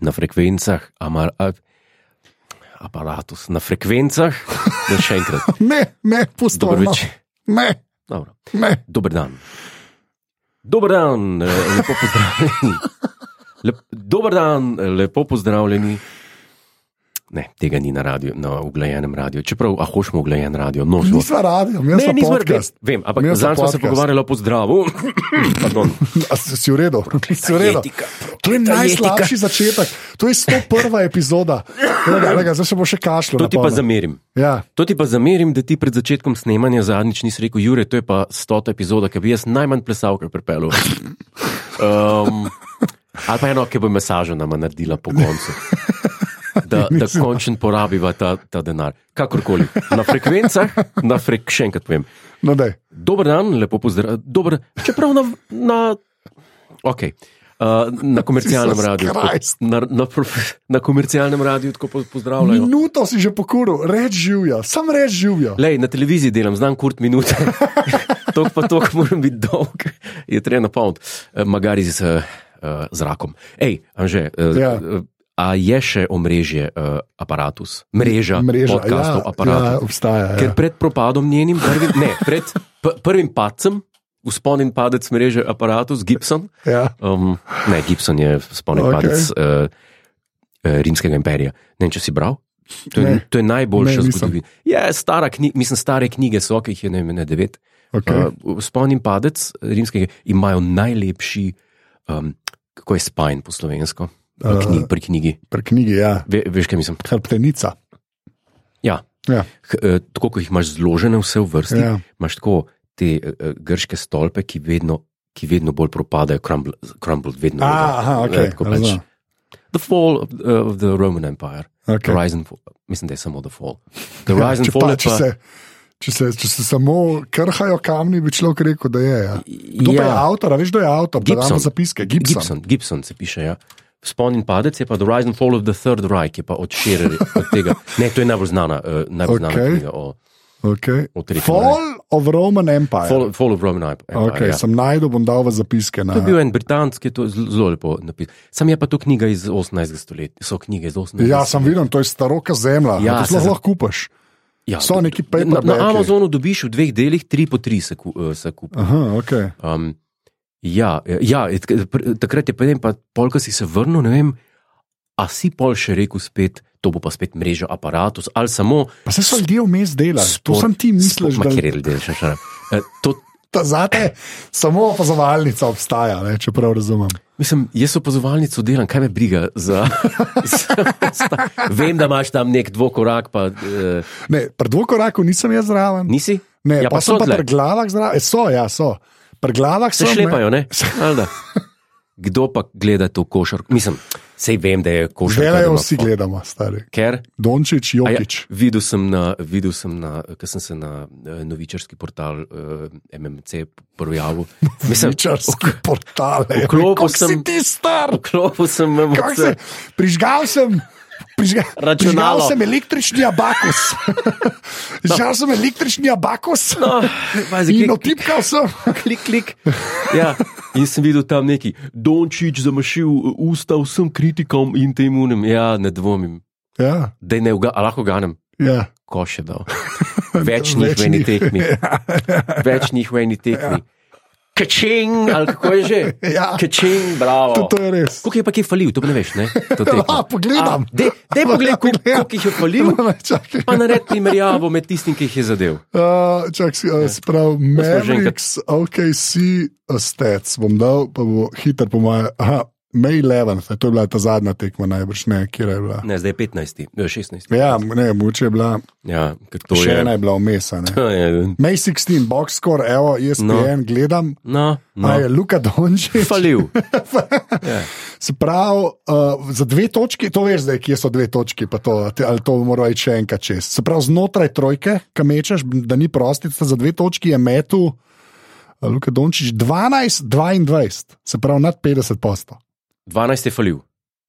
na frekvencah, aparatus, na frekvencah, da še enkrat. Ne, pustovno. Ne. Dober dan. Dober dan, lepo pozdravljeni. Dober dan, lepo pozdravljeni. Ne, tega ni na radiju, na uglajenem radiju. Čeprav, hočemo uglajen radio. No, nisva radio, mi smo podcast. Vem, ampak zanj smo se pogovarjali o pozdravu. Pardon. Si v redu? Si v redu? To je najslabši začetek. To je 101. epizoda. Zdaj se bo še kašljal. To ti pa zamerim. Ja. To ti pa zamerim, da ti pred začetkom snemanja zadnjič nisi rekel, Jure, to je pa 100. epizoda, ki bi jaz najmanj plesal, kar pripeljal. Ali pa eno, ki bo masažo nama naredila po koncu. Da končno porabiva ta denar. Kakorkoli. Na frekvencah, še enkrat povem. No, daj. Dober dan, lepo pozdrav. Čeprav na komercialnem radiju. Na komercialnem radiju tako pozdravljajo. Minuto si že pokuril, reč živja, sam reč živja. Lej, na televiziji delam, znam kurt minute. Tok pa tok moram biti dolg. Je treba napolniti. Magari z zrakom. Ej, Anže, a je še omrežje aparatus? Mreža podcastov aparatus? Ja, obstaja. Ker pred propadom njenim, pred prvim padcem, vzponin padec mreže aparatus, Gibson. Ja. Gibson je vzponin padec Rimskega imperija. Ne vem, če si bral? To je najboljša zgodovina. Stare knjige so, ki jih je ne 9. Vzponin padec Rimskega imajo najlepši, kako je spine po slovensko? Pri knjigi. Pri knjigi, ja. Veš, kaj mislim? Hrbtenica. Ja. Tako, ko jih imaš zložene vse v vrsti, imaš tako te grške stolpe, ki vedno bolj propadajo, crumbled vedno. The fall of the Roman Empire. The rise and fall. Mislim, da je samo the fall. The rise and fall je pa... Če se samo krhajo kamni, bi človek rekel, da je. Ja. Kdo pa je avtor? Veš, kdo je avtor? Gibson se piše, ja. Vzponin padec je pa The Rise and Fall of the Third Reich, je pa od tega. Ne, to je najbolj znana knjiga o Fall of Roman Empire. Fall of Roman Empire, ja. Sem najdel, bom dal v zapiske. To je bil en britanski, to je zelo lepo napis. Sam je pa to knjiga iz 18. stoletja. So knjige iz 18. Ja, sem videl, to je staroka zemlja. Ja, to lahko kupaš. Ja, so neki paperbacki. Na Amazonu dobiš v 2 delih, 3 po 3 se kupa. Aha, okej. Takrat je pa polka si se vrnil, ne vem, a si pol še rekel spet, to bo pa spet mreža aparatus, ali samo... Pa se so ljudje vmes delali, to sem ti misliš, da... Makjer ljudje še. Zate samo opazovalnica obstaja, če prav razumem. Mislim, jaz opazovalnico delam, kaj me briga za... Vem, da imaš tam nek dvokorak, pa... Ne, pri dvokoraku nisem jaz zraven. Nisi? Ne, pa sem pa pri glavah zraven. So. Pri glavah se šlepajo, ne? Kdo pa gleda to košarko? Mislim, sej vem, da je košarka. Delajo vsi gledamo, stari. Ker? Dončić, Jokić. Videl sem ker sem se na novičarski portal MMC projavil. Novičarski portal. Kako si ti star? Vklopil sem MMC. Prižgal sem računalo. Električni abakus. Prižgal sem električni abakus. In otipkal sem. Klik. Ja. In sem videl tam neki Dončić zamašil usta vsem kritikom in temu, ja, ne dvomim. Ja. Dej ne, lahko ganem. Ja. Koš je dal. Več njih v eni tekmi. Več njih v eni tekmi. Kačing, ali kako je že? Ja. Kačing, bravo. To je res. Koliko je pa kje falil, to pa ne veš, ne? Pogledam. Dej pogled, koliko jih je falil, pa nared primerjavo med tistim, ki jih je zadev. Sprav, Mavericks, OKC stats, bom dal, pa bo hiter po moje. May 11, to je bila ta zadnja tekma najbrž, ne, kjer je bila? Ne, zdaj je 15, 16. Ja, ne, moče je bila, še ena je bila vmesa, ne. May 16, box score, evo, ESPN, gledam, a je Luka Dončić. Falil. Se pravi, za 2 točki, to veš zdaj, kje so 2 točki, pa to, ali to mora iti še enkrat čez. Se pravi, znotraj trojke, kam mečeš, da ni prostica, za 2 točki je metu Luka Dončić 12-22, se pravi, nad 50%. 12 je falil.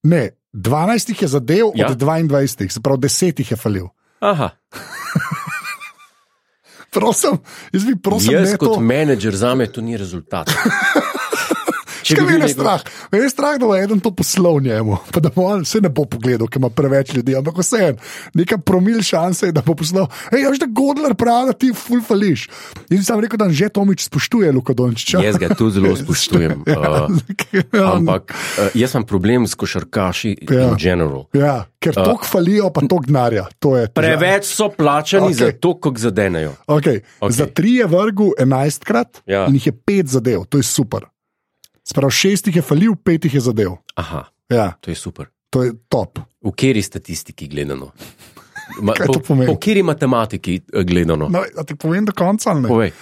Ne, 12 je zadev od 22, se pravi 10 je falil. Aha. Prosim, jaz kot menedžer zame to ni rezultat. Mene je strah, da bo eden to poslal njemu, pa da bo on se ne bo pogledal, ker ima preveč ljudi, ampak vseeno, neka promil šanse je, da bo poslal, veš, da Godler pravi, da ti ful fališ. In sem rekel, da že Tomič spoštuje Luka Dončića. Jaz ga tudi zelo spoštujem. Ampak jaz imam problem s košarkaši in general. Ja, ker toliko falijo, pa toliko denarja. Preveč so plačani za to, kako zadenejo. Okay. Za 3 je vrgel 11krat in jih je 5 zadev, to je super. Sprav 6 jih je falil, 5 jih je zadev. Aha, to je super. To je top. V kateri statistiki gledano? Po kateri matematiki gledano? No, a ti povem do konca, ali ne? Povej.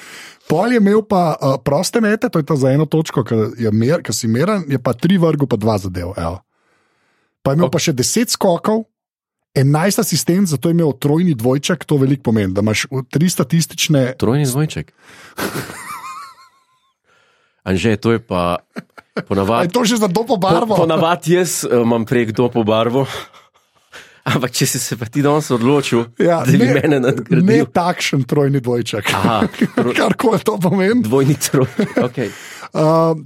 Pol je imel pa proste mete, to je ta za eno točko, ki si meren, je pa 3 vrgel, pa 2 zadev. Evo. Pa je imel pa še 10 skokov, 11 asistent, zato je imel trojni dvojček, to veliko pomeni, da imaš 3 statistične... Trojni dvojček? Anže, to je pa ponavadi... Je to že za dopo barvo? Ponavadi jaz imam prek dopo barvo. Ampak če si se pa ti danes odločil, da bi mene nadgradil... Ne takšen trojni dvojček. Karkoli to pomeni. Dvojni trojček, okej.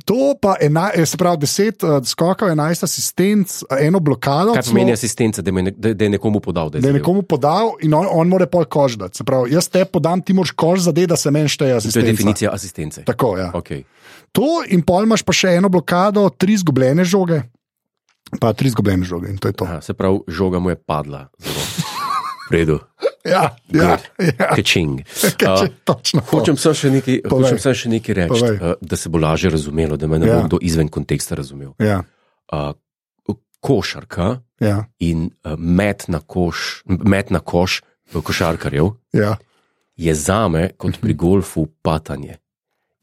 To pa se pravi 10 skokov, 11 asistenc, eno blokado. Kaj pomeni asistenca, da je nekomu podal? Da je nekomu podal in on mora pol koš dati. Se pravi, jaz te podam, ti moraš koš zadeti, da se meni šteje asistenca. To je definicija asistence. Tako, ja. Okay. To in pol imaš pa še eno blokado, 3 izgubljene žoge. Pa 3 izgubljene žoge in to je to. Aha, se pravi, žoga mu je padla. Zelo. V redu. Ja. Kečing. Točno. Hočem sem še nekaj reči, da se bo lažje razumelo, da me ne bo kdo izven konteksta razumel. Ja. Košarka in met na koš košarkarjev je zame kot pri golfu patanje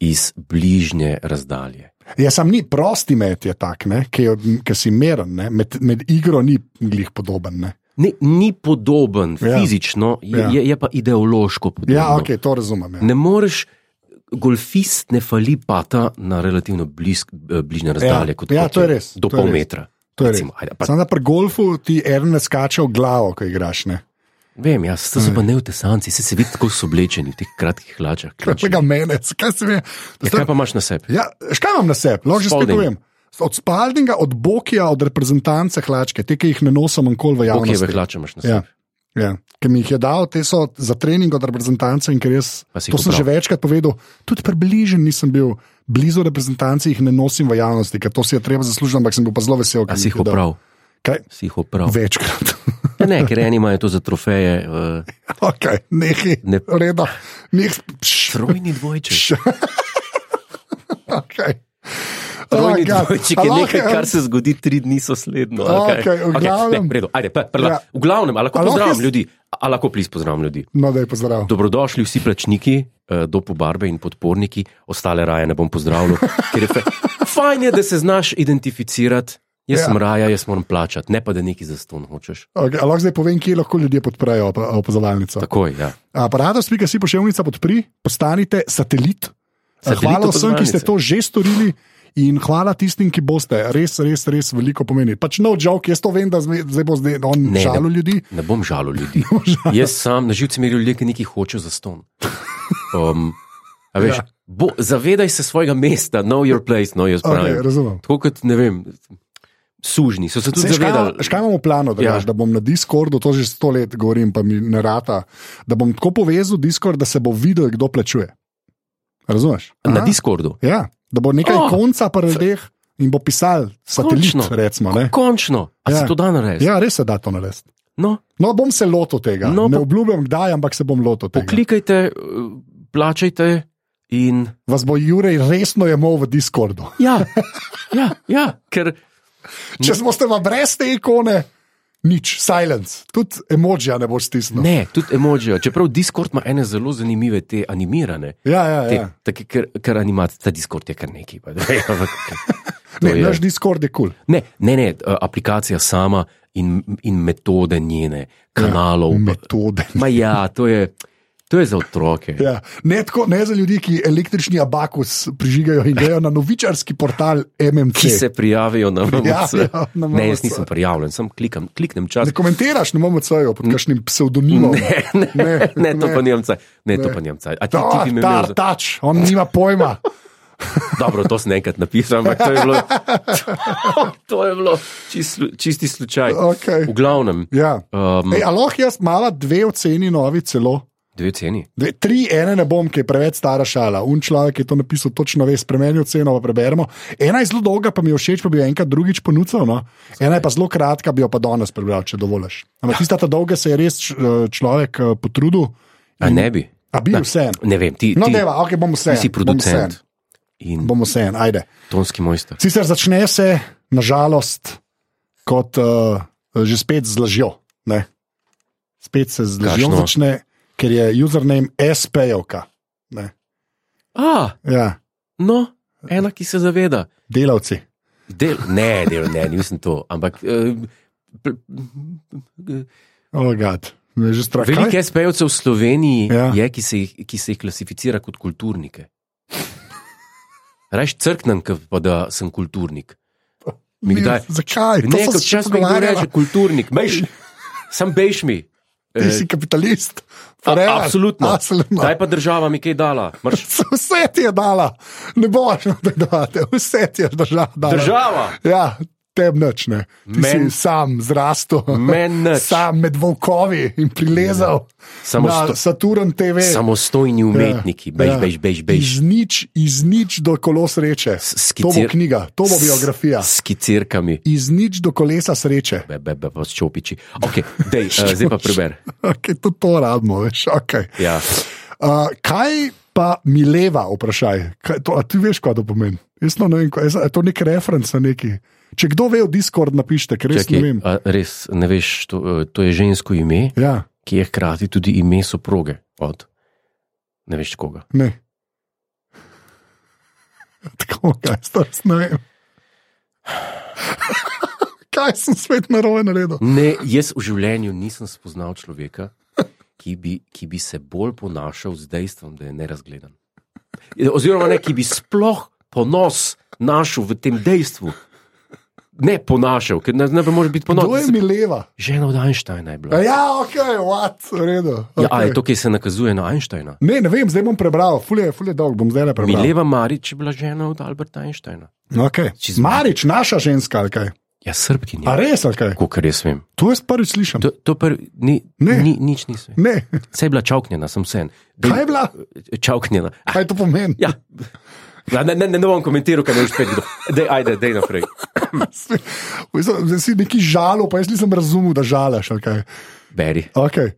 iz bližnje razdalje. Ja, sam ni prosti met je tak, ki si meren, med igro ni glih podoben. Ni podoben fizično, je pa ideološko podoben. Ja, ok, to razumem. Ja. Ne moreš, golfist ne fali pata na relativno bližnje razdalje, kot to je res, do pol metra. Samo da pri golfu ti eden ne skače v glavo, ko igraš, ne? Vem, to so pa neotesanci, se vidi, kako so oblečeni v teh kratkih hlačah. Kaj menec, kaj se ve? Kaj pa imaš na sebi? Ja, kaj imam na sebi? Lahko že spet povem. Od Spaldinga, od Bokija, od reprezentance hlačke, te, ki jih ne nosim nikoli v javnosti. Bokijeve hlače imaš na sebi. Ja. Ker mi jih je dal, te so za trening od reprezentance in ker jaz, to sem že večkrat povedal, tudi približen nisem bil blizu reprezentance, jih ne nosim v javnosti, ker to si je treba zaslužiti, ampak sem bil pa zelo vesel. A si jih oprav? Kaj? Si jih oprav? Večkrat. Ne, ker eni imajo to za trofeje. Ok, nekaj. Redo. Trojni dvojček. Ok. Trojni dvojček je nekaj, kar se zgodi 3 dni sosledno. V glavnem, ali lahko pozdravim ljudi? Ali lahko pozdravim ljudi? No, da je pozdrav. Dobrodošli vsi plačniki, dopo barbe in podporniki, ostale raje ne bom pozdravljal, ker je fajn je, da se znaš identificirati. Jaz sem raja, jaz moram plačati, ne pa da nekaj za ston hočeš. Okay, lahko zdaj povem, kje lahko ljudje podprejo opazovalnico. Takoj, ja. Parados.si pošiljnica podpri, postanite satelit. Hvala vsem, ki ste to že storili in hvala tistim, ki boste. Res veliko pomeni. Pač no joke, jaz to vem, da zdaj bo on žalil ljudi. Ne bom žalil ljudi. Jaz sam, na živci merijo ljudje, ki nekaj hočejo za ston. Veš, zavedaj se svojega mesta, know your place, know your prime. Okay, razumem. Tako kot, ne vem... Sužni, so se tudi zavedali. Škaj imamo plano, da bom na Discordu, to že 100 let govorim, pa mi ne rata, da bom tako povezal Discord, da se bo videl, kdo plačuje. Razumeš? Na Discordu? Ja, da bo nekaj konca pa ljudeh in bo pisal satelit, recimo. Končno, a se to da narediti? Ja, res se da to narediti. No, bom se lotil tega. Ne obljubljam kdaj, ampak se bom lotil tega. Poklikajte, plačajte in... Vas bo Jurej resno jemal v Discordu. Ja, ker... Če smo ste brez te ikone, nič, silence, tudi emojija ne boš stisnil. Ne, tudi emojija, čeprav Discord ima ene zelo zanimive te animirane. Ja. Ker ta Discord je kar nekaj. Naš Discord je kul. Ne, aplikacija sama in metode njene, kanalov. Metode. To je za otroke. Ja. Ne za ljudi, ki električni abakus prižigajo in grejo na novičarski portal MMC. Ki se prijavijo na MMC. Na ne, jaz nisem prijavljen, sem kliknem čas. Ne komentiraš na MMC-ju pod kakšnim pseudonimom. Ne, to pa nimam caj. A ti bi me imel... Tač, on nima pojma. Dobro, to sem enkrat napisal, ampak to je bilo čisti slučaj. Okay. V glavnem. Ja. Aloh jaz mala 2 oceni novi celo. 2 oceni? 3, ene ne bom, ki je preveč stara šala. Človek je to napisal točno, spremeni oceno, pa preberemo. Ena je zelo dolga, pa mi je všeč, pa bi jo enkrat drugič ponudil. No? Ena je pa zelo kratka, bi jo pa danes prebral, če dovoliš. Ampak tista dolga se je res človek potrudil. A ne bi? A bi vse. Ne vem, ti bom vse. Ti si producent. Bomo vse, ajde. Tonski mojster. Sicer začne se, nažalost, kot že spet z lažjo. Ne? Spet se z lažjo začne, ker je username SPJ-ovka. Ja. No, ena, ki se zaveda. Delavci. Ne, nisem to, ampak... Oh, God. Veliko SPJ-ovcev v Sloveniji je, ki se jih klasificira kot kulturnike. Rajš crknem, pa da sem kulturnik. Zakaj? Ne, kot čas mi kdo reče kulturnik. Sam bejš mi. Ti si kapitalist. Absolutno. Daj pa država mi kaj dala. Vse ti je dala. Ne boš nadvedovati. Vse ti je država dala. Država? Ja. Tebi nič, ne. Ti si sam zrastel, sam med volkovi in prilezal na Saturn TV. Samostojni umetniki, bež. Iz nič do kolo sreče. To bo knjiga, to bo biografija. S skicirkami. Iz nič do kolesa sreče. Pa s čopiči. Ok, zdaj pa preber. Ok, to radimo, veš, ok. Ja. Kaj pa Mileva, vprašaj? A ti veš, kaj to pomeni? Jaz ne vem, je to nek referenc na neki... Če kdo ve v Discord, napište, ker res ne vem. Res ne veš, to je žensko ime, ki je hkrati tudi ime soproge od ne veš koga. Ne. Tako, kaj res ne vem. Kaj sem svet narobe naredil? Ne, jaz v življenju nisem spoznal človeka, ki bi se bolj ponašal z dejstvom, da je nerazgledan. Oziroma ne, ki bi sploh ponos našel v tem dejstvu. Ne ponašal, ker ne može biti ponosen. Kdo je Mileva? Žena od Einsteina je bila. Ja, ok, v redu. Okay. Ja, je to, ki se nakazuje na Einsteina? Ne vem, zdaj bom prebral, ful je dolg, bom zdaj le prebral. Mileva Marič je bila žena od Alberta Einsteina. Ok, Marič, naša ženska, ali kaj? Ja, Srbkinja. A res, ali kaj? Kolikor jaz vem. To jaz prvič slišam. Nič nisem. Ne. Saj je bila čauknjena, sem sen. Kaj je bila? Čauknjena. Kaj to pomeni? Ja. Ne bom komentiral, kaj ne veš pet. Dej naprej. Zdaj si neki žalo, pa jaz nisem razumel, da žalaš. Okay. Beri. Okay.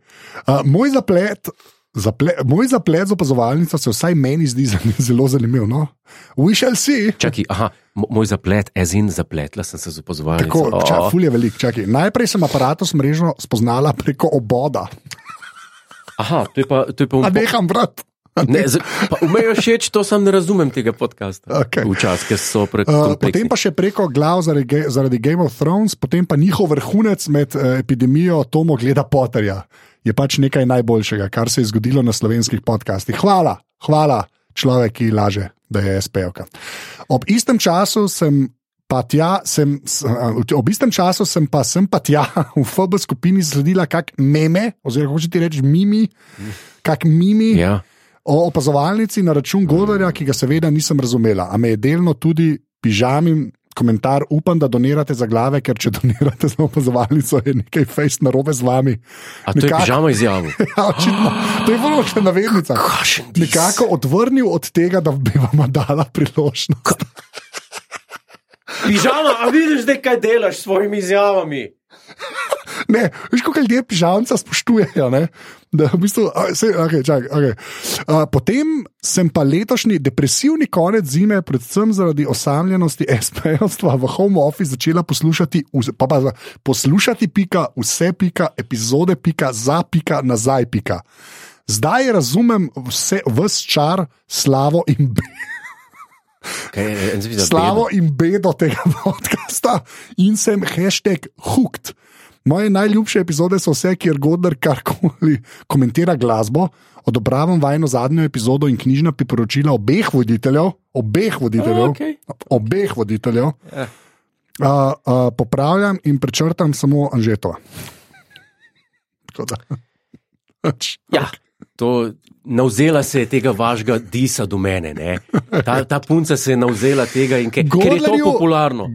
Moj zaplet z opazovalnico se vsaj meni zdi zelo zanimiv. No? We shall see. Čakaj, moj zaplet, zapletla sem se z opazovalnico. Tako, ful je velik. Čakaj. Najprej sem aparatus mrežno spoznala preko oboda. To je pa... A neham, brat. Umejo všeč, to sam ne razumem tega podcasta. Okay. Včasih, ker so prekompleksni. Potem pa še preko glav zaradi Game of Thrones, potem pa njihov vrhunec med epidemijo Tomo gleda Potterja. Je pač nekaj najboljšega, kar se je zgodilo na slovenskih podcastih. Hvala človek, ki laže, da je SPJ-ovka. Ob istem času sem pa tja v FB skupini sledila kak meme, oziroma hoče ti reči mimi, Ja. O opazovalnici na račun Godlerja, ki ga seveda nisem razumela, a me je delno tudi pižamin komentar, upam, da donirate za glave, ker če donirate za opazovalnico, je nekaj fejst narobe z vami. A to je pižama izjavil? Ja, očitno. To je bilo še navednica. Nekako odvrnil od tega, da bi vam dala priložnost. Pižama, a vidiš, da kaj delaš s svojimi izjavami? Ne, veš, koliko ljudje pižamca spoštujejo, ne? Da v bistvu, okay. Potem sem pa letošnji depresivni konec zime, predvsem zaradi osamljenosti SPJ-ovstva v home office začela poslušati epizode nazaj. Zdaj razumem ves čar, slavo in slavo in bedo tega podcasta in sem #hooked. Moje najljubše epizode so vse, kjer Godler karkoli komentira glasbo, odobravam vajno zadnjo epizodo in knjižna priporočila obeh voditeljev, popravljam in prečrtam samo Anžetova. Ja. navzela se je tega vašega disa do mene. Ne? Ta punca se je navzela tega in ker je to popularno.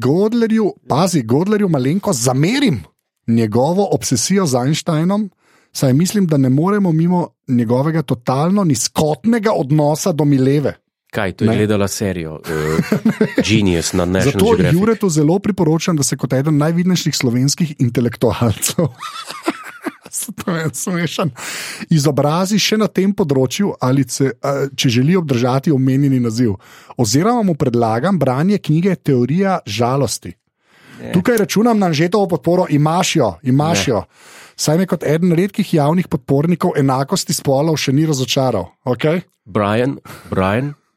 Godlerju malenko zamerim njegovo obsesijo z Einsteinom, saj mislim, da ne moremo mimo njegovega totalno nizkotnega odnosa do Mileve. Kaj, to je gledala serijo Genius na National Geographic. Zato Juretu zelo priporočam, da se kot eden najvidnejših slovenskih intelektualcev smešan izobrazi še na tem področju, ali če želi obdržati omenjeni naziv. Oziroma mu predlagam branje knjige Teorija žalosti. Tukaj računam na Anžetovo podporo, imaš jo. Saj me kot eden redkih javnih podpornikov enakosti spolov še ni razočaral. Okay? Brian,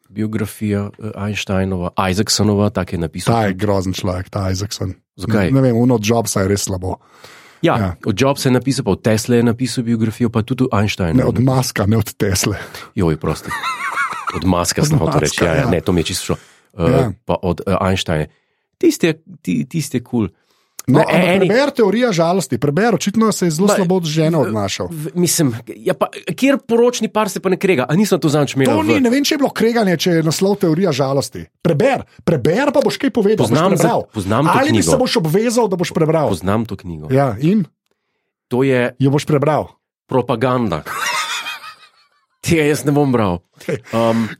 biografija Einsteinova, Isaacsonova, tak je napisal. Ta je grozen človek, ta Isaacson. Zakaj? Ne vem, od Jobsa je res slabo. Ja, od Jobsa je napisal, pa od Tesla je napisal biografijo, pa tudi Einsteina. Ne od Muska, ne od Tesle. Joj, prosti. Od Muska sem hotel reči, ne, to mi je čisto šlo. Pa od Einsteina. Tiste je cool. No, preber Teorija žalosti, očitno se je zelo slabo od žene odnašal. Mislim, kjer poročni par se pa ne krega, a nisem to zanč imel. Ne vem, če je bilo kreganje, če je naslov Teorija žalosti. Preber pa boš kaj povedal, poznam to ali knjigo. Bi se boš obvezal, da boš prebral. Poznam to knjigo. Ja, in? To je... Jo boš prebral. Propaganda. Tega jaz ne bom bral.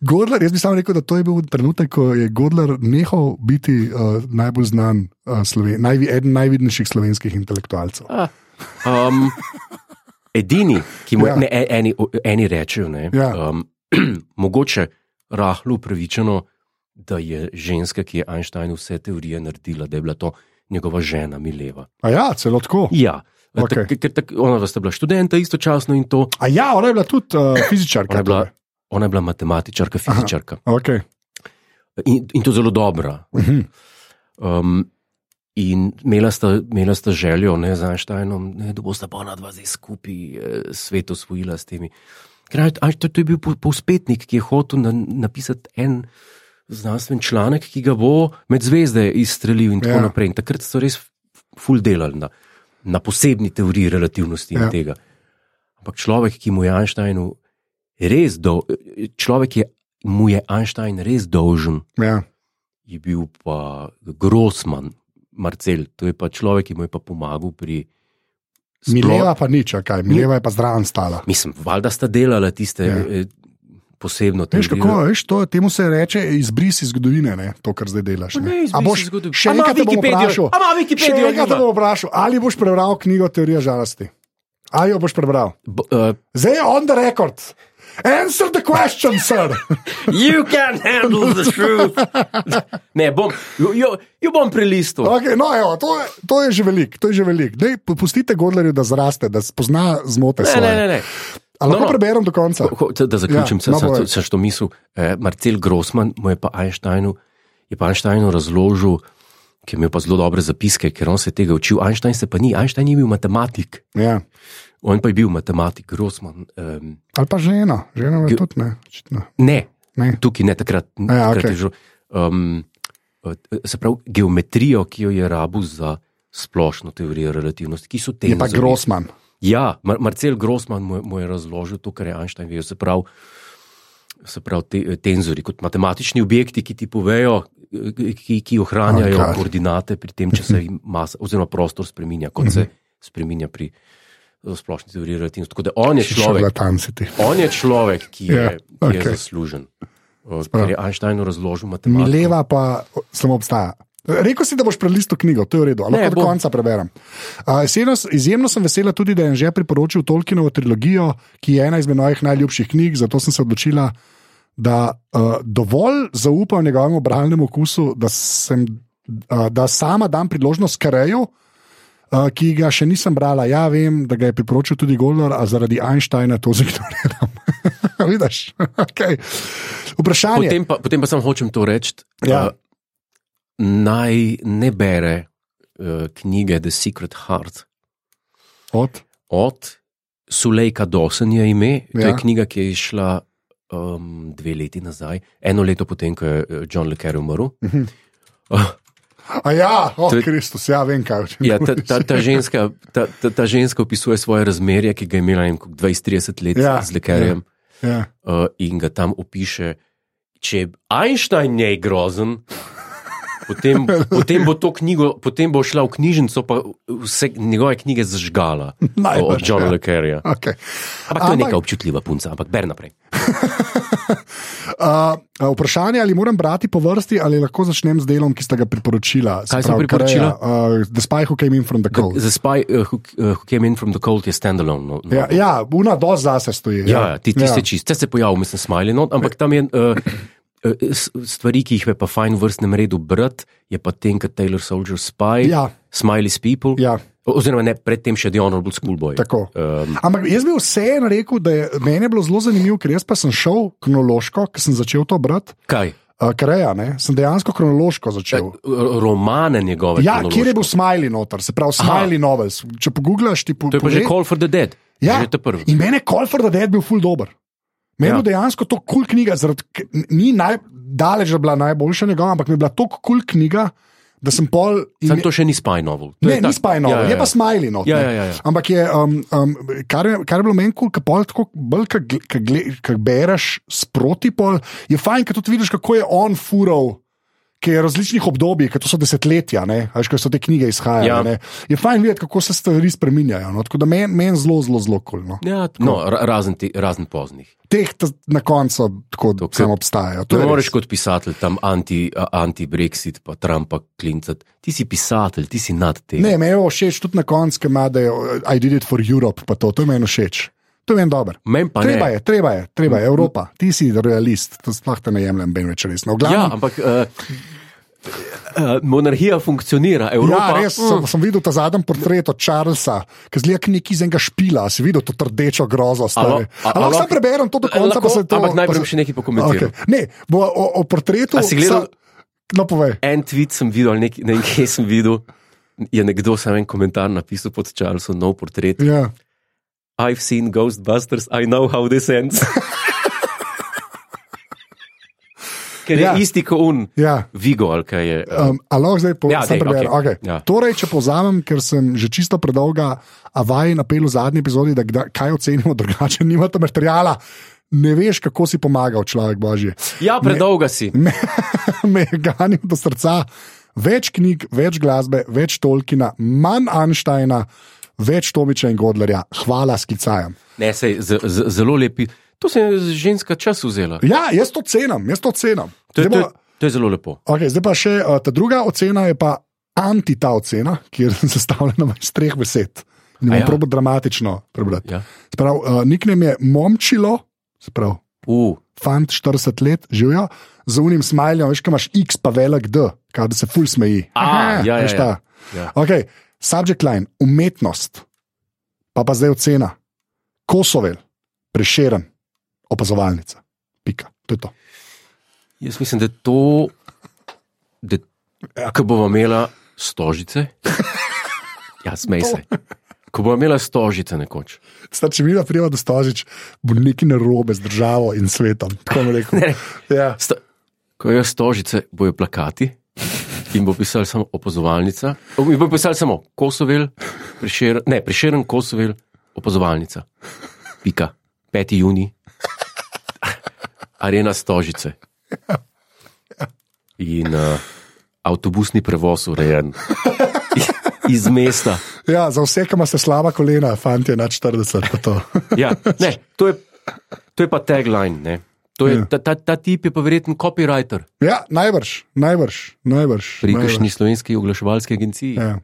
Godler, jaz bi samo rekel, da to je bil trenutek, ko je Godler nehal biti najbolj znan, eden najvidnejših slovenskih intelektualcev. Edini, ki mu eni rečejo, mogoče rahlo upravičeno, da je ženska, ki je Einsteinu vse teorije naredila, da je bila to njegova žena Mileva. A ja, celo tako? Ja. Okay. Ona sta bila študenta istočasno in to. A ja, ona je bila tudi fizičarka. Ona je bila matematičarka, fizičarka. Aha, okay. In to zelo dobra. In imela sta željo z Einsteinom, da bosta pa ona dva zdaj skupaj svet osvojila s temi. To je bil povzpetnik, ki je hotel napisati en znanstven članek, ki ga bo med zvezde izstrelil in tako naprej. In takrat so res ful delali na posebni teoriji relativnosti in tega. Ampak človek, ki mu je Einsteinu res Einstein res dolžen, je bil pa Grossman, Marcel, to je pa človek, ki mu je pa pomagal pri... Mileva pa nič, kaj? Mileva je pa zraven stala. Mislim, valjda sta delala tiste posebno teorijo. Veš kako, temu se reče izbris iz zgodovine, ne? To, kar zdaj delaš. A boš še enkrat te bom vprašal, ali boš prebral knjigo Teorija žalosti? Ali jo boš prebral? Zdaj je on the record. Answer the question, sir. You can't handle the truth. Ne, jo bom prelistil. Okay, no, evo, to je že velik. Dej, pustite Godlerju, da zraste, da spozna zmote svoje. Ne. Ali lahko preberem do konca? Da zaključim, sem što mislil. Marcel Grossman mu je pa Einsteinu razložil, ki je imel pa zelo dobre zapiske, ker on se tega učil. Einstein je bil matematik. Ja. On pa je bil matematik, Grossman. Ali pa žena je tudi, ne? Ne, tukaj ne, takrat. Okay. Se pravi, geometrijo, ki jo je rabil za splošno teorijo relativnosti, ki so tenzori. Je pa Grossman. Ja, Marcel Grossman mu je razložil to, kar je Einstein vedel, se pravi tenzori, kot matematični objekti, ki ti povejo, ki ohranjajo koordinate pri tem, če se masa oziroma prostor spreminja, kot se spreminja pri splošni teoriji relativnosti. Tako da on je človek, ki je zaslužen, ker je Einsteinu razložil matematiko. Mileva pa samo obstaja. Rekel si, da boš prelistil knjigo, to je v redu, ali lahko do konca preberem. Izjemno sem vesela tudi, da je že priporočil Tolkienovo trilogijo, ki je ena izmed mojih najljubših knjig, zato sem se odločila, da dovolj zaupam njegovemu bralnemu okusu, da sama dam priložnost Kareju, ki ga še nisem brala. Ja, vem, da ga je priporočil tudi Godler, a zaradi Einsteina to zignoriram. Vidiš? Okay. Vprašanje. Potem pa samo hočem to reči. Ja. Naj ne bere knjige The Secret Heart. Od Sulejka Dawson je ime. To je knjiga, ki je išla 2 leti nazaj. 1 leto potem, ko je John le Carré umrl. Kristus, vem kaj. Ja, ta ženska opisuje svoje razmerje, ki ga je imela 20-30 let z lekarjem. In ga tam opiše, če Einstein je grozen, potem bo to knjigo, potem bo šla v knjižnico, pa vse njegove knjige zažgala od Johna Le Carreja. Okay. Ampak to je neka občutljiva punca, ampak ber naprej. Vprašanje, ali moram brati po vrsti, ali lahko začnem z delom, ki ste ga priporočila. Kaj sem priporočila? The Spy Who Came In From The Cold. The Spy Who Came In From The Cold je standalone. Una dosti zase stoji. Ti ste čist. Se pojavil, mislim, Smiley not, ampak tam je... stvari, ki jih je pa fajn v vrstnem redu brati, je pa Tinker Tailor Soldier Spy, Smiley's People, oziroma ne, predtem še The Honorable Schoolboy. Ampak jaz bi vseeno rekel, da je meni bilo zelo zanimivo, ker jaz pa sem šel kronološko, ker sem začel to brati. Kaj? Kareja, ne? Sem dejansko kronološko začel. Romane njegove. Ja, kjer je bil Smiley noter, se pravi Smiley novels. Če pogooglaš, ti to je pa že Call for the Dead. Ja, in meni je Call for the Dead bil ful dober. Meni je dejansko to kul knjiga, ni daleč bila najboljša njegova, ampak mi je bila to kul knjiga, da sem pol... Sam to še ni Spy novel. Ne, ni Spy novel, je pa Smiley not. Ampak je, kar je bilo meni kul, ka pol tako bolj, kak bereš sproti pol, je fajn, ka tudi vidiš, kako je on fural, ki je različnih obdobij, ker to so desetletja, ko so te knjige izhajale. Je fajn videti, kako se stvari spreminjajo. Tako da meni zelo kul. Razen poznih. Teh na koncu tako samo obstajajo. Ne moreš kot pisatelj tam anti-Brexit pa Trumpa klincati. Ti si pisatelj, ti si nad tem. Ne, me je všeč tudi na koncu, ki ima, da je I did it for Europe, pa to je meni všeč. To je meni dober. Treba je, Evropa. Ti si realist, to sploh te ne jemljem ben več resno. Ampak monarhija funkcionira, Evropa... Ja, res, sem videl ta zadnji portret od Charlesa, ki zlija neki iz enega špila, si videl to rdečo grozo. Lahko sam preberem to do konca, pa se to... Ampak najprej še nekaj pokomentiral. Ne, bo o portretu... A si gledal... No, povej. En tweet sem videl, nekaj sem videl, je nekdo sam en komentar napisal pod Charlesom, nov portret. Ja. I've seen Ghostbusters, I know how this ends. Ker je isti kot Vigo, ali kaj je. Lahko zdaj preberem. Okay. Torej, če povzamem, ker sem že čisto predolga avaj napel v zadnji epizodi, da kaj ocenimo drugače, nimate materijala. Ne veš, kako si pomagal človek Božji. Ja, predolga si. Me ganim do srca. Več knjig, več glasbe, več Tolkiena, manj Einsteina, več Tomiča in Godlerja. Hvala, sklicajam. Ne, zelo lepi. To se je ženska čas vzela. Ja, jaz to cenim. To je zelo lepo. Okay, zdaj pa še ta druga ocena je pa anti ta ocena, ki je sestavljena iz 3 besed. Ne bom probo dramatično prebrati. Ja. Nickname je Momčilo, fant 40 let, živijo, z unim smajljem, veš, kaj imaš X pa velik D, kaj da se ful smeji. Ja. Okay. Subject line, umetnost, pa zdaj ocena. Kosovel, Prešeren, opazovalnica. Pika, to je to. Jaz mislim, da je to, ko bomo imela stožice, smej se, ko bomo imela stožice nekoč. Če mi da prijeva do stožič, bo nekaj narobe z državo in svetom. Tako mi rekel. Ja. Ko je stožice, bojo plakati in bo pisali samo opazovalnica. In bo pisali samo Kosovel, Prešeren, Kosovel, opazovalnica. Pika. 5. junij. Arena Stožice. In avtobusni prevoz urejen. Iz mesta. Ja, za vse, ki ima se slaba kolena, fantje nad 40. Ja, ne, to je pa tagline, ne. Ta tip je pa verjetno copywriter. Ja, najbrž. Pri kakšni slovenski oglaševalski agenciji. Ja.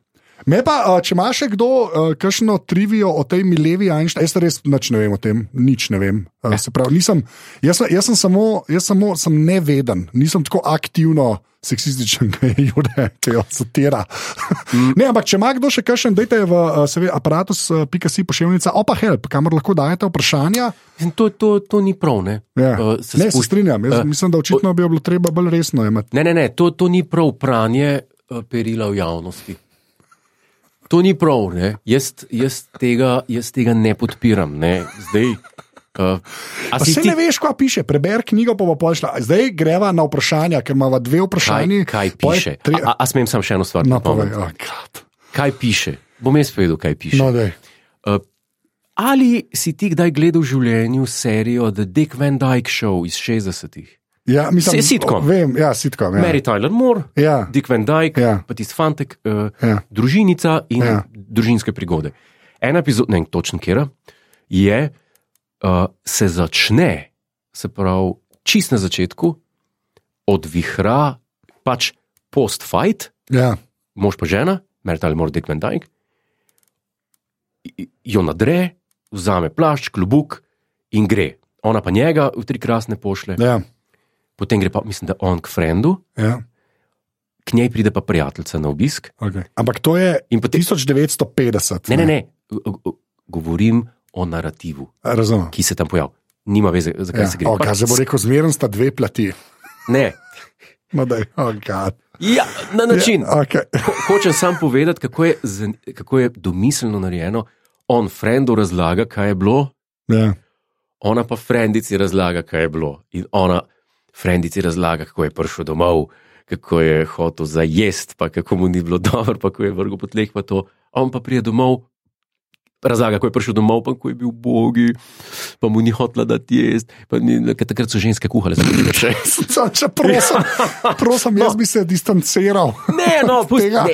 Me pa, če ima še kdo kakšno trivijo o tej Milevi Einstein, jaz res nič ne vem o tem, nič ne vem. Se pravi, jaz sem neveden, nisem tako aktivno seksističen, ki jo satira. Ne, ampak če ima kdo še kakšen, dajte v aparatus.si pošiljnica, help, kamor lahko dajete vprašanja. To ni prav, ne? Ja. Ne, se strinjam, mislim, da očitno bi bilo treba bolj resno imeti. Ne, to ni prav pranje perila v javnosti. To ni prav, ne? Jaz tega ne podpiram, ne? Zdaj, Ne veš, kaj piše, preber knjigo, pa bo pošla. Zdaj greva na vprašanja, ker imamo dve vprašanji. Kaj piše? A smem sam še eno stvar? No, povej, kaj piše? Bom jaz povedal, kaj piše. No, ali si ti kdaj gledal v življenju serijo The Dick Van Dyke Show iz 60-ih? Ja, mislim, sitcom. Vem, ja, sitcom. Ja. Mary Tyler Moore, Dick Van Dyke, pa tisti fantek, družinica in družinske prigode. Ena epizoda, ne vem točno kjera, se začne, se pravi, čist na začetku, odvihra pač post-fight, mož pa žena, Mary Tyler Moore, Dick Van Dyke, jo nadre, vzame plašč, klobuk in gre. Ona pa njega v 3 krasne pošle. Ja. Potem gre pa, mislim, da on k frendu, k njej pride pa prijateljica na obisk. Okay. Ampak to je potem 1950. Ne. Govorim o narativu, ki se tam pojavi. Nima veze, zakaj se gre. Zdaj bo rekel, zmeren sta 2 plati. Ne. Na način. Hočem sam povedati, kako je domiselno narejeno. On frendu razlaga, kaj je bilo, ona pa frendici razlaga, kaj je bilo. In ona frendici razlaga, kako je prišel domov, kako je hotel zajest, pa kako mu ni bilo dobro, pa kako je vrgel po tleh, pa to. On pa prije domov, razlaga, kako je prišel domov, pa kako je bil ubogi, pa mu ni hotela dati jesti, pa takrat so ženske kuhale. Prosim, jaz bi se distanciral. Ne,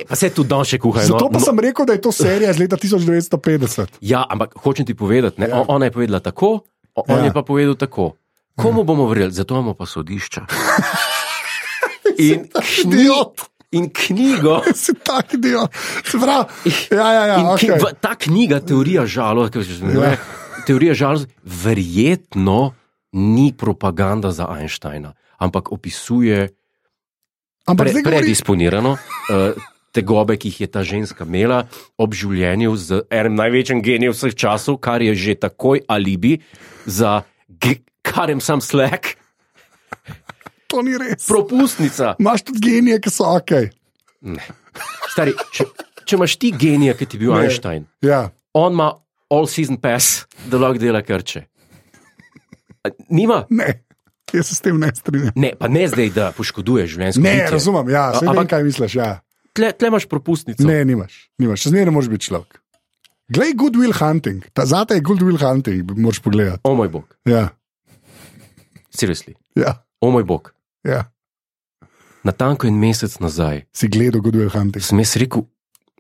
pa se tudi dan še kuhajo. Zato pa sem rekel, da je to serija iz leta 1950. Ja, ampak hočem ti povedati, ona je povedala tako, on je pa povedal tako. Komu bomo verjeli? Zato imamo pa sodišča. In knjigo. Si tak idiot. Ta knjiga, teorija žalosti, verjetno ni propaganda za Einsteina, ampak opisuje predisponirano tegobe, ki jih je ta ženska imela ob življenju z enim največjim genijem vseh časov, kar je že takoj alibi za Karem sam Slack. To ni res. Propustnica. Imaš tudi genije, ki so ok. Ne. Stari, če imaš ti genija, ki ti bil Einstein, on ima all season pass, da lahko dela krče. Nima? Ne, jaz se s tem ne strinjam. Ne, pa ne zdaj, da poškoduješ življenjsko bitje. Ne, razumem, vem, kaj misliš, Tle imaš propustnico. Ne, nimaš, še zmeraj ne moreš biti človek. Glej Good Will Hunting, zate je Good Will Hunting, moraš pogledati. O moj bog. Ja. Seriously. Ja. O moj bog. Ja. Natanko 1 mesec nazaj si gledal Good Will Hunting. Sem jaz rekel,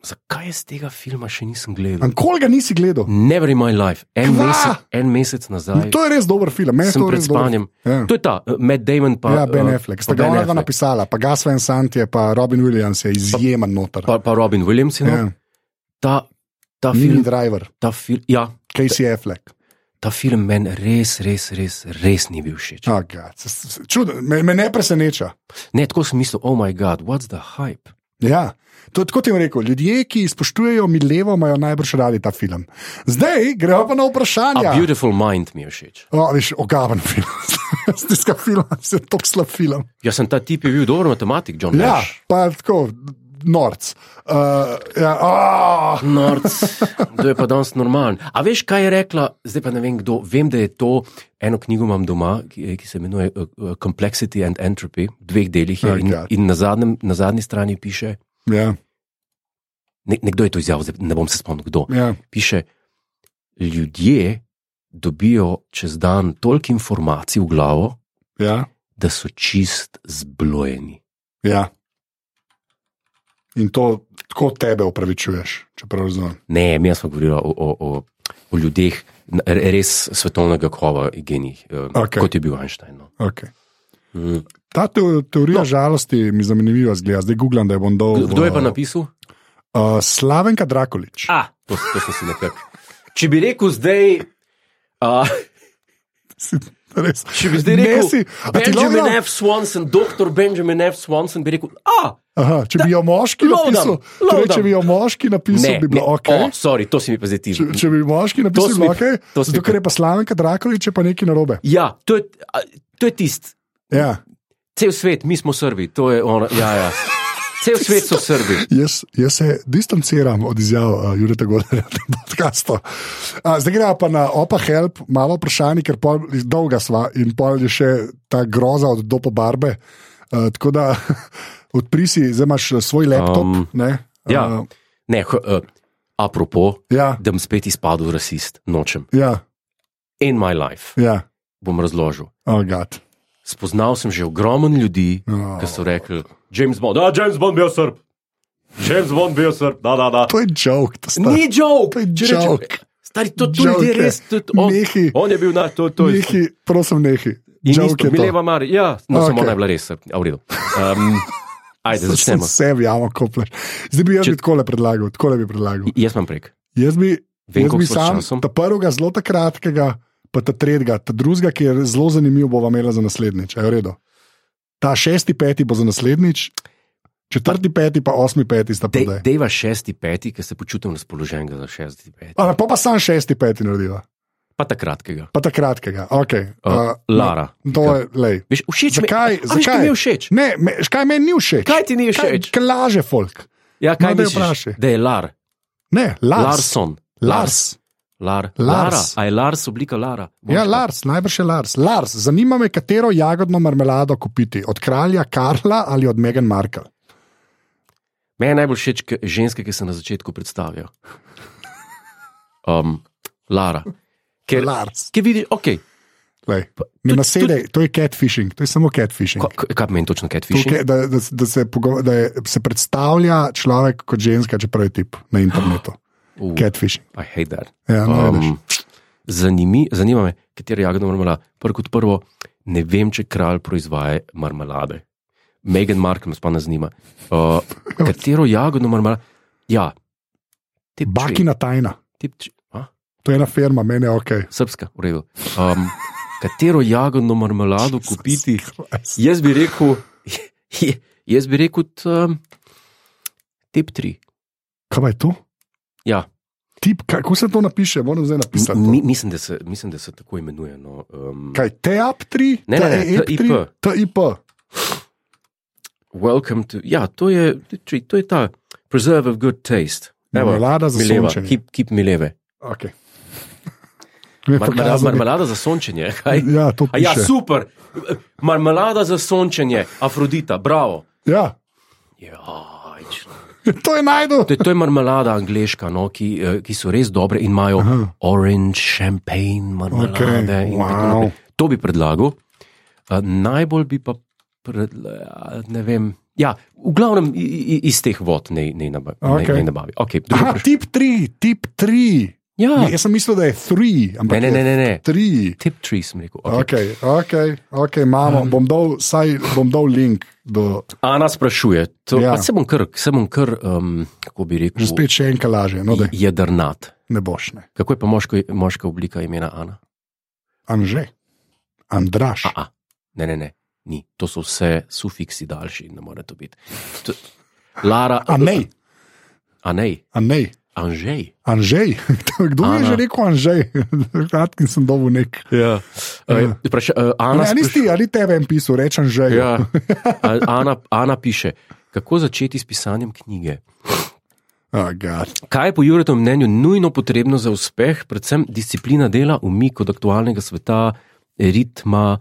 zakaj jaz tega filma še nisem gledal? Koliko ga nisi gledal? Never in my life. En mesec nazaj. To je res dober film. Sem pred spanjem. To je ta, Matt Damon pa Ben Affleck. Sta ga ona napisala, pa Gus Van Sant je, pa Robin Williams je izjemen noter. Pa Robin Williams je noter. Ta Mini film. Driver. Ja. Casey Affleck. Ta film meni res ni bil všeč. Čudno, me ne preseneča. Ne, tako sem mislil, oh my god, what's the hype? Ja, tako ti bom rekel, ljudje, ki spoštujejo Milevo, imajo najbrž radi ta film. Zdaj gremo pa na vprašanje. A Beautiful Mind mi je všeč. Veš, ogaven film. Stiska film, se je tok slab film. Jaz sem ta tip je bil dober matematik, John Nash. Ja, pa tako, norc. Norc, to je pa danes normalen. A veš, kaj je rekla, zdaj pa ne vem kdo, vem, da je to, eno knjigo imam doma, ki se imenuje Complexity and Entropy, v 2 delih je in na zadnji strani piše, nekdo je to izjavil, zdaj ne bom se spomnil kdo, piše, ljudje dobijo čez dan toliko informacij v glavo, da so čist zblojeni. Ja. In to tako tebe opravičuješ, če prav razumem. Ne, mi smo govorili o ljudeh res svetovnega kova in genijih, kot je bil Einstein. No. Ta teorija žalosti mi zanimiva zgleda. Zdaj googlam, da je bom dol. Kdo je pa napisal? Slavenka Drakulić. To sem si nekako. Če bi rekel zdaj... Če bi zdaj rekel Benjamin F. Swanson, doktor Benjamin F. Swanson, bi rekel, če bi jo moški napisal, če bi jo moški napisal, bi bilo ok. Sorry, to si mi pa zdaj ti. Če bi moški napisal, bi bilo ok, zato ker je pa Slavenka Drakulić, je pa nekaj narobe. Ja, to je tist. Ja. Cel svet, mi smo Srbi, to je ono, Cel svet so Srbi. Jaz se distanciram od izjav Jureta Godlerja v tem podcastu. Zdaj gremo pa na Opa Help, malo vprašanje, ker dolga sva in pol je še ta groza od Dopa Barbe. Tako da odpri si, zdaj imaš svoj laptop. Apropo, da bom spet izpadel rasist, nočem. In my life. Bom razložil. Spoznal sem že ogromno ljudi, ki so rekli, James Bond bil Srb. James Bond bil Srb, da. To je joke. Ni joke. To je joke. Stari, to je res. On je bil na to. Nehi, prosim, nehi. In isto, Mileva Mari, samo ona je bila res, v redu. Ajde, začnemo. Sebi jamo kopleš. Zdaj bi jaz takole predlagal. Jaz imam prek. Jaz bi sam ta prvega zelo kratkega, pa ta tretjega, ta drugega, ki je zelo zanimiv, bova imela za naslednjič. Je v redu. Ta 6.5. bo za naslednjič, 4.5. pa 8.5. sta podaj. Dejva 6.5., ker se počutim razpoloženega za 6.5. Pa sam 6.5. narediva. Pa ta kratkega. Ok. Lara. To je, lej. Všeč mi. Zakaj? Kaj mi je všeč? Ne, kaj meni ni všeč? Kaj ti ni všeč? Kaj laže folk? Ja, kaj misliš? Da je Lar. Ne, Lars. Larson. Lara. A je Lars oblika Lara? Ja, Lars, najbrž je Lars. Lars, zanima me, katero jagodno marmelado kupiti. Od kralja Karla ali od Meghan Markle? Meni je najbolj všeč ženske, ki se na začetku predstavijo. Lara. Lars. Ki vidi, ok. Ne nasedej, to je catfishing, to je samo catfishing. Kaj meni točno catfishing? Da se predstavlja človek kot ženska, čeprav je tip na internetu. Catfishing. I hate that. Ja, zanima me, katero jagodno marmelado. Prvo, ne vem, če kralj proizvaja marmelade. Meghan Markle me spana zanima. Katero jagodno marmelado? Ja. Bakina tajna. To je ena firma, meni je ok. Srpska, v redu. Katero jagodno marmelado kupiti? Jaz bi rekel tip 3. Kaj je to? Ja. Kako se to napiše? Moram zdaj napisati. Mislim, da se tako imenuje. No. Kaj, TAP 3? Ne, TIP. Welcome to... Ja, to je ta preserve of good taste. Marmelada za sončenje. Keep Mileve. Ok. Marmelada za sončenje, kaj? Ja, to piše. Ja, super. Marmelada za sončenje, Afrodita, bravo. Ja. To je najdo. To je marmelada angleška, no, ki so res dobre in imajo orange, champagne, marmelade. Okay. To bi predlagal. Najbolj bi pa, ne vem, ja, v glavnem iz teh vod ne nabavi. Okay, tip 3. Ja. Jaz sem mislil, da je 3, ampak ne. 3. Tip 3 sem rekel. Ok, mamo, bom dal link do... Ana sprašuje, se bom kar, kako bi rekel... Že spet še enka laže. No, jedrnat. Ne boš, ne. Kako je pa moška oblika imena Ana? Anže. Andraš. Ne. Ni. To so vse sufiksi daljši, ne more to biti. Lara... Anej. Anžej. Kdo je že rekel Anžej? Kratki sem dobil nek. Ja. Ali tebe en pisal, reč Anžej. Ja. Ana piše, kako začeti s pisanjem knjige. Kaj je po Juretovem mnenju nujno potrebno za uspeh, predvsem disciplina dela, umik od aktualnega sveta, ritma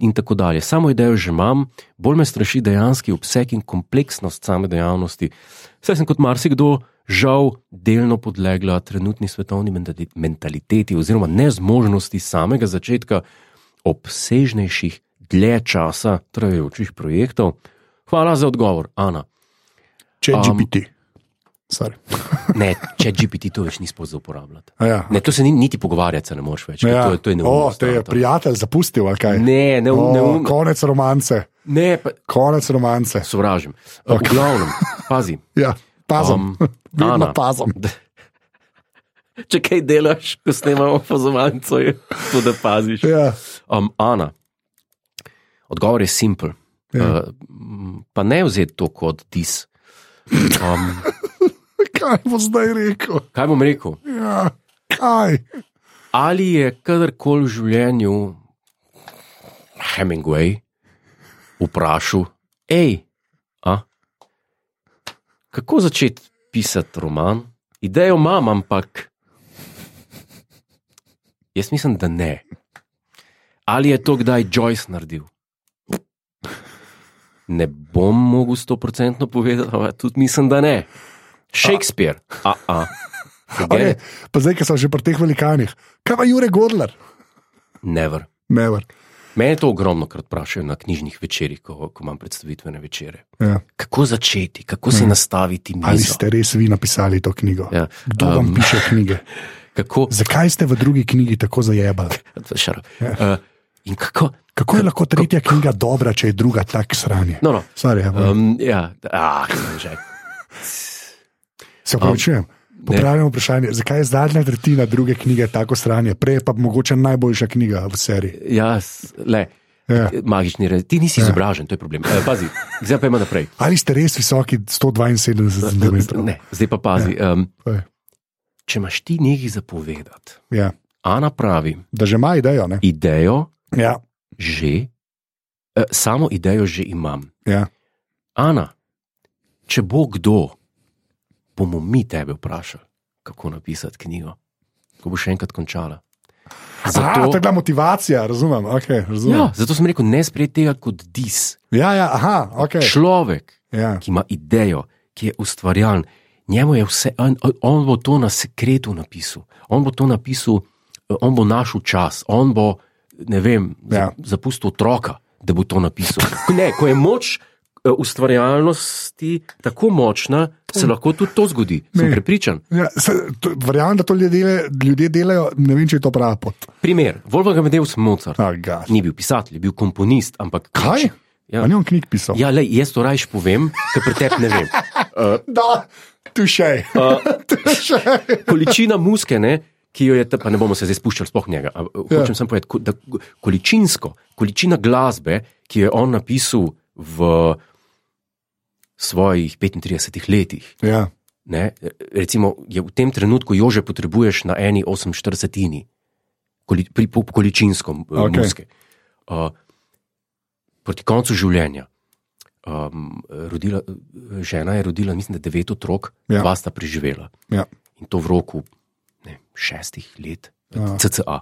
in tako dalje. Samo idejo že imam, bolj me straši dejanski obseg in kompleksnost same dejavnosti. Saj sem kot marsikdo žal delno podlegla trenutni svetovni mentaliteti oziroma nezmožnosti samega začetka obsežnejših, dlje časa trajajočih projektov. Hvala za odgovor, Ana. ChatGPT. Ne, ChatGPT to več ni spod za uporabljati. Ja. Ne, to se niti pogovarjati se ne moreš več. Ja. To je neumnost. Te je prijatelj zapustil, ali kaj? Ne, konec romance. Ne, konec romance. Sovražim. V glavnem, pazi. Ja. Pazom. Ana, pazom. Če kaj delaš, ko snemamo fazovanco, je to, da paziš. Ja. Ana, odgovor je simpel. Ja. Pa ne vzeti to kot dis. Kaj bo zdaj rekel? Kaj bom rekel? Ja, kaj? Ali je kadarkoli v življenju Hemingway vprašal, Kako začeti pisati roman? Idejo imam, ampak jaz mislim, da ne. Ali je to kdaj Joyce naredil? Ne bom mogel 100% povedati, ampak tudi mislim, da ne. Shakespeare. Okay, pa zdaj, ki so že pri teh velikanih. Kaj pa Jure Godler? Never. Mene to ogromno krat vprašajo na knjižnih večerih, ko imam predstavitvene večere. Ja. Kako začeti, kako si nastaviti mizo? Ali ste res vi napisali to knjigo? Ja. Kdo vam piše knjige? Zakaj ste v drugi knjigi tako zajebali? In kako je lahko tretja knjiga dobra, če je druga tak sranje? No. Sorry, se upravičujem. Popravljamo vprašanje, zakaj je zadnja tretjina druge knjige tako sranje, prej pa mogoče najboljša knjiga v seriji? Magični red. Ti nisi izobražen, to je problem. Pazi, zdaj pa ima naprej. Ali ste res visoki 172 cm? Ne, zdaj pa pazi. Če imaš ti nekaj zapovedati, Ana pravi, da že ima idejo, ne? Idejo, samo idejo že imam. Ana, če bo kdo, bomo mi tebe vprašali, kako napisati knjigo, ko bo še enkrat končala. To je bila motivacija, razumem. Ja, zato sem rekel, ne sprejeti tega kot dis. Človek, ki ima idejo, ki je ustvarjalen, njemu je vse, on bo to na sekretu napisal, on bo to napisal, on bo našel čas, on bo, ne vem, zapustil otroka, da bo to napisal. Ko je moč ustvarjalnosti tako močna, se lahko tudi to zgodi. Sem prepričan. Verjamem, da to ljudje delajo, ne vem, če je to prava pot. Primer, Wolfgang Amadeus Mozart. Ni bil pisatelj, je bil komponist, ampak... Kaj? Ja. A ni on knjig pisal? Ja, jaz to rajš povem, ker pri tebi ne vem. Tušej. Količina muske, ki jo je, pa ne bomo se zdaj spuščali sploh njega, hočem samo povedati, da količina glasbe, ki jo je on napisal v svojih 35 letih. Recimo, je v tem trenutku jo že potrebuješ na eni 48-ini količinsko muske. Proti koncu življenja žena je rodila, mislim, da 9 otrok, 2 sta preživela. In to v roku 6 let, CCA.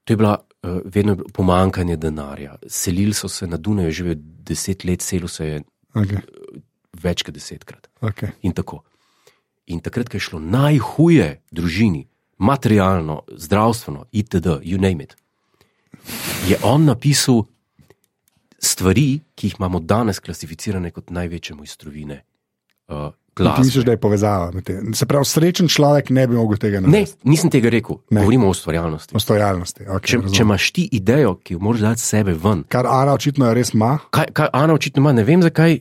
To je bila vedno pomankanje denarja. Selili so se na Dunaju, živijo 10 let, selil se je več kot 10-krat. In tako. In takrat, ko je šlo najhuje družini, materialno, zdravstveno, itd., you name it, je on napisal stvari, ki jih imamo danes klasificirane kot največje mojstrovine glasbe. Misliš, da je povezava med tem? Se pravi, srečen človek ne bi mogel tega narediti? Ne, nisem tega rekel. Govorimo o ustvarjalnosti. Če imaš ti idejo, ki jo moraš dati sebe ven. Kar Ana očitno res ima. Kaj Ana očitno ima, ne vem, zakaj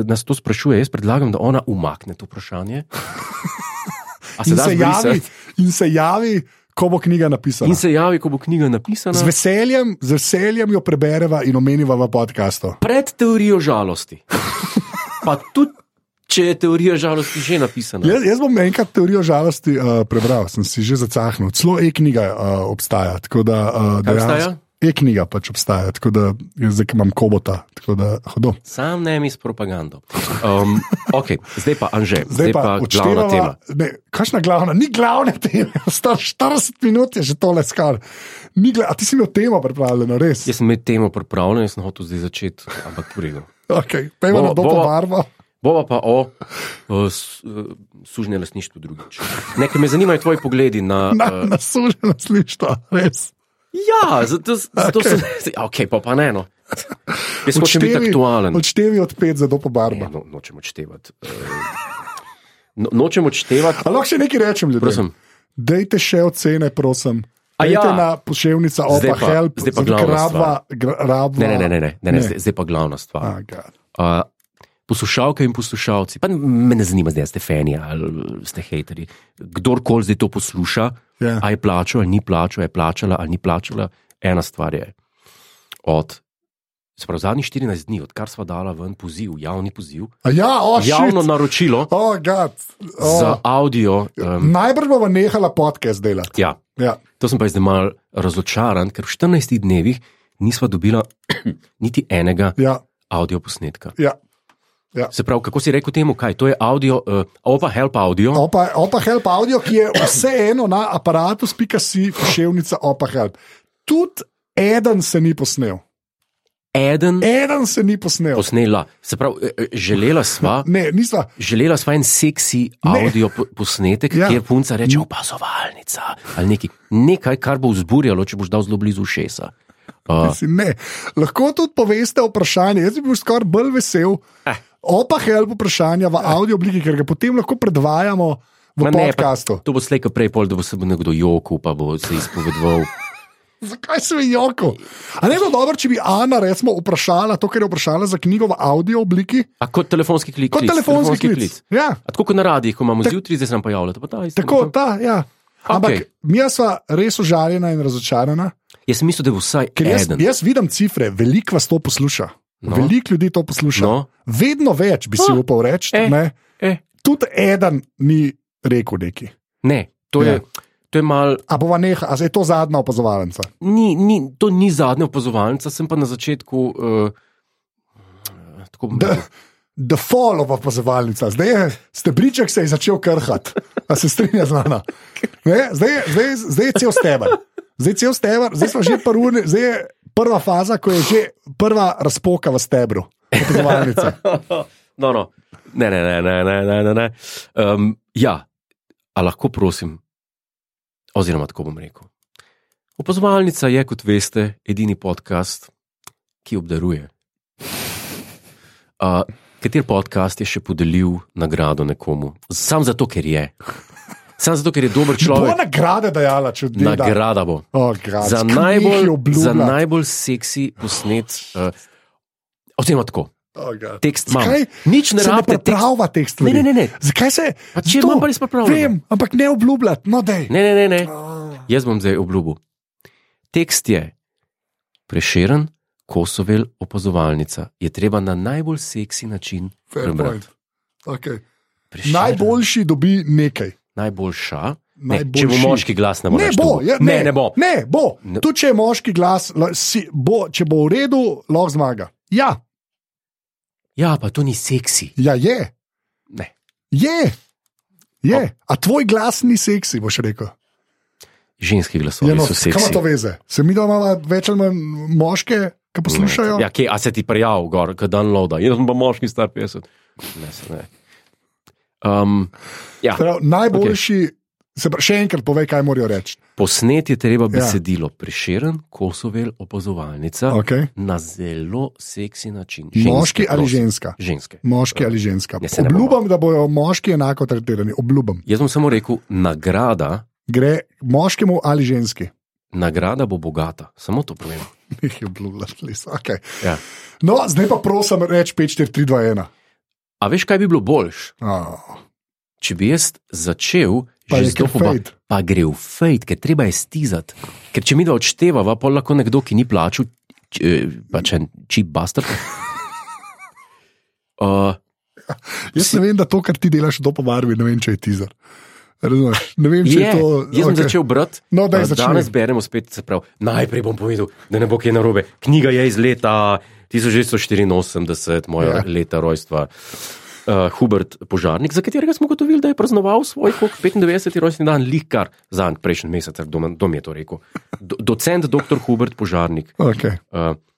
nas to sprašuje. Jaz predlagam, da ona umakne to vprašanje. In se javi, ko bo knjiga napisana. Z veseljem jo prebereva in omeniva v podcastu. Pred teorijo žalosti. Pa tudi, če je teorija žalosti že napisana. Jaz bom enkrat teorijo žalosti prebral, sem si že zacahnil. Celo e-knjiga obstaja. Kaj obstaja? E-knjiga pač obstaja, tako da zdaj imam kobota. Sam ne mi s propagando. Zdaj pa Anže, zdaj pa glavna tema. Kakšna glavna? Ni glavne teme. Star 40 minut je že tole skar. A ti si imel temo pripravljeno, res? Jaz sem imel temo pripravljeno, jaz sem hotel zdaj začeti, ampak v redu. Pejmo na Dopo Barbo. Bova pa o sužnje lastništvu drugič. Nekaj me zanimajo tvoji pogledi na sužnje lastništvo, res. Ja, zato sem... pa ne, no. Jaz hočem biti aktualen. Odštevi od 5 za Dopo Barbo. Nočem odštevati. Nočem odštevati. A lahko še nekaj rečem, ljudem? Prosim. Dejte še ocene, prosim. Dejte na poševnica Opa Help. Zdaj pa glavna stvar. Ne, zdaj pa glavna stvar. Poslušalke in poslušalci, pa me ne zanima, zdaj ste fani ali ste hejteri. Kdorkoli zdaj to posluša, a je plačal ali ni plačal, je plačala ali ni plačala, ena stvar je. Zadnjih 14 dni, odkar sva dala ven poziv, javni poziv, javno naročilo za audio. Najbrž bova nehala podcast delati. Ja. To sem pa zdaj malo razočaran, ker v 14 dnevih nisva dobila niti enega audio posnetka. Ja. Ja. Se pravi, kako si rekel temu, kaj? To je audio, Opa Help Audio. Opa Help Audio, ki je vseeno na aparatus.si pošiljka Opa Help. Tudi eden se ni posnel. Eden se ni posnel. Posnela. Se pravi, želela sva. Ne, nisva. Želela sva en seksi audio posnetek, kjer punca reče opazovalnica ali nekaj, kar bo vzburjalo, če boš dal zelo blizu ušesa. Ne. Lahko tudi poveste vprašanje. Jaz bi bil skoraj bolj vesel. Opa Help vprašanja v audio obliki, ker ga potem lahko predvajamo v podcastu. To bo slejko prej, da bo se bo nekdo jokal, pa bo se izpovedoval. Zakaj se je jokal? A ne bi bilo dobro, če bi Ana recimo vprašala to, kar je vprašala za knjigo v audio obliki? A kot telefonski klic. Kot telefonski klic. Ja. A tako kot na radijih, ko imamo zjutraj, zdaj se nam pojavlja. Tako, ja. Ampak mi sva res užaljena in razočarana. Jaz sem mislil, da je vsaj eden. Jaz vidim cifre, veliko vas to posluša. No. Veliko ljudi to posluša. No. Vedno več bi si upal reči. Tudi eden ni rekel neki. Ne, to je mal. A bova neha, a je to zadnja opazovalnica? To ni zadnja opazovalnica, sem pa na začetku. The fall of opazovalnica. Zdaj je stebriček se je začel krhati. A se strinja z nami? Zdaj je cel steber. Zdaj smo že zdaj je prva faza, ko je že prva razpoka v stebru. Opazovalnice. No. Ne. Ja, a lahko prosim, oziroma tako bom rekel. Opazovalnica je, kot veste, edini podcast, ki obdaruje. Kater podcast je še podelil nagrado nekomu? Sam zato, ker je. Samo zato, ker je dober človek. Bo nagrade dajala, če odide. Nagrada bo. Za najbolj seksi posnet. Oziroma tako. Tekst imam. Nič ne rabite. Pripravlja tekst. Ne. Zakaj se? Če imam pa res pripravljeno. Vem, ampak ne obljubljati. No, dej. Ne. Jaz bom zdaj obljubil. Tekst je Prešeren, Kosovel, opazovalnica. Je treba na najbolj seksi način prebrati. Okay. Najboljši dobi nekaj. Najboljša. Če bo moški glas, ne bo. Ne bo. Ne bo. Tudi če je moški glas, če bo v redu, lahko zmaga. Ja. Ja, pa to ni seksi. Ja, je. Ne. Je. A tvoj glas ni seksi, boš rekel. Ženski glasovi so seksi. Kaj ima to veze? Se mi da imamo več ali manj moške, ki poslušajo? Ja, a se ti prijav gor, kad downloada. Jaz sem pa moški star 50. Ne. Ja. Najboljši, še enkrat povej, kaj morajo reči. Posnet je treba besedilo Prešeren, Kosovel, opazovalnica na zelo seksi način. Moški ali ženska? Ženske. Moški ali ženska. Obljubam, da bojo moški enako tretirani. Obljubam. Jaz bom samo rekel, nagrada gre moškemu ali ženski. Nagrada bo bogata, samo to povem. Nekaj obljubljaš, okay. Ja. No, zdaj pa prosim reči 5, 4, 3, 2, 1. A veš, kaj bi bilo boljš? Če bi jaz začel že z dobo, pa gre v fejt, ker treba je stizati. Ker če mi da odštevava, pa lahko nekdo, ki ni plačal, pač en cheap bastard. Jaz ne vem, da to, kar ti delaš do pobarvi, ne vem, če je teaser. Razumeš? Ne vem, če je to. Jaz sem začel brati. No, danes beremo spet, se pravi, najprej bom povedal, da ne bo kaj narobe. Knjiga je iz leta 1984, moja leta rojstva. Hubert Požarnik, za katerega smo gotovili, da je praznoval svoj 95. rojstni dan, lihkar zanj prejšnji mesec, kdo mi je to rekel. Docent dr. Hubert Požarnik,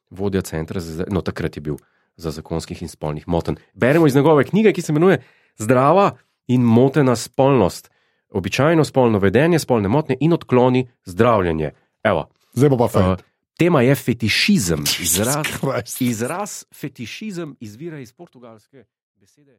vodja centra, no takrat je bil za zakonskih in spolnih motenj. Beremo iz njegove knjige, ki se imenuje Zdrava in motena spolnost. Običajno spolno vedenje, spolne motnje in odkloni, zdravljenje. Evo. Zdaj bo pa fajn. Tema je fetišizem. Izraz fetišizem izvira iz portugalske besede.